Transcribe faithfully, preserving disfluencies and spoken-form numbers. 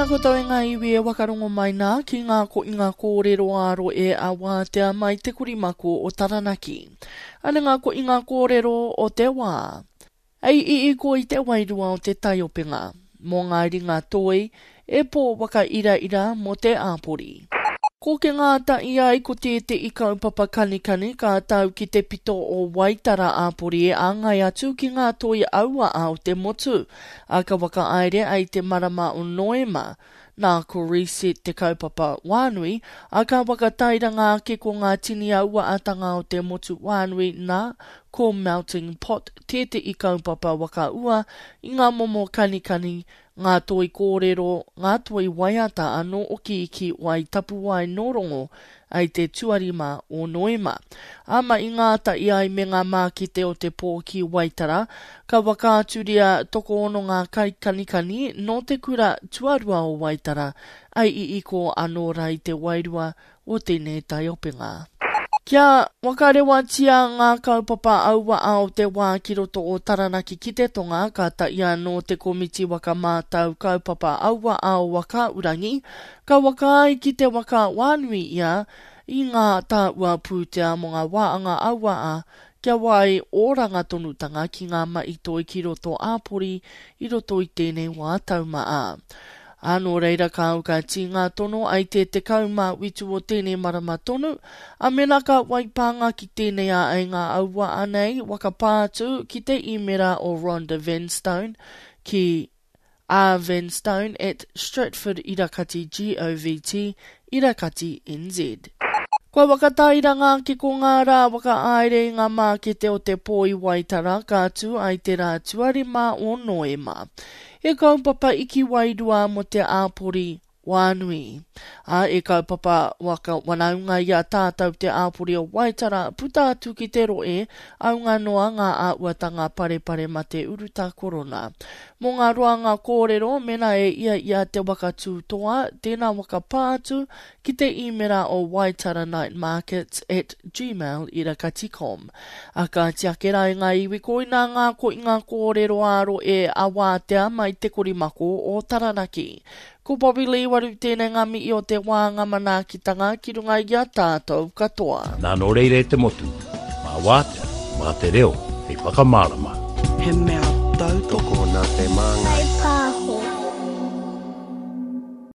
koutou e ngā iwi e wakarongo mai nā ki ngā koinga kōrero āro e a wātea mai te korimako o Taranaki. Ana ngā koinga kōrero o te wā. Ei iiko i te wairua o te taiopenga, mō ngā ringa toi, e pō waka ira ira mō te āpori. Ko ke ngā ta'i ai ko tētehi kaupapa kanikani ka tau ki te pito o Waitara āpori e āngai atu ki ngā toi aua a o te motu, a ka whakahaere ai te marama o Noema. Nā ko Reset te kaupapa wānui, a ka whakatairanga ake ko ngā tini aua atanga o te motu wānui nā ko Melting Pot tētehi kaupapa whakaua i ngā momo kanikani, ngā toi kōrero, ngā toi waiata anō oki ki wai tapuwae nō ai te tuarima o Noema. Ama i ngā ta'i ai me ngā mākete o te pō ki Waitara, ka whakaaturia tokoono ngā kaikanikani nō te kura tuarua o Waitara, ai i iko anō rai te wairua o tēnei taiopenga. Kia wakarewatia ngā kaupapa aua ao te wā ki roto o Taranaki ki te tonga, ka taia nō te komiti whakamātau kaupapa aua ao waka urangi, ka waka ai ki te waka wānui ia i ngā tāua pūtea mō ngā wāanga aua a, kia wai oranga tonutanga ki ngā mahi toi ki roto āpori i roto i tēnei wā taumaa. A nō reira ka au ka tī ngā tono ai te tekau mā witu o tēnei marama tonu, a mena ka waipānga ki tēnei a ai ngā aua anei wakapā atu ki te īmera o Rhonda Vanstone ki rvanstone at Stratford irakati govt irakati nz. Kua whakatairanga ake ko ngā rā whakahaere i ngā mākete o te pō i Waitara ka tū ai te rā tuarima o Noema. E kaupapa iki wairua mō te āpori wānui. A e kaupapa waka wanaunga i a tātou te āpori o Waitara puta atu ki te roe, aunga noa ngā āuatanga parepare mate uruta korona. Mō ngā roanga kōrero, mena e ia ia te waka tūtoa, tēnā waka pātu ki te īmera o waitaranightmarkets at gmail irakati com. A ka tiake rā i ngā iwi koina ngā ko i ngā kōrero āro e a wātea mai te korimako o Taranaki. Ko Bobby Lee waru tēnei ngā mihi o te wānga manaakitanga ki runga i a tātou katoa. Nā nō reira e te motu, mā wātea, mā te reo, hei whakamārama. He mea tautoko Tokona te māngai.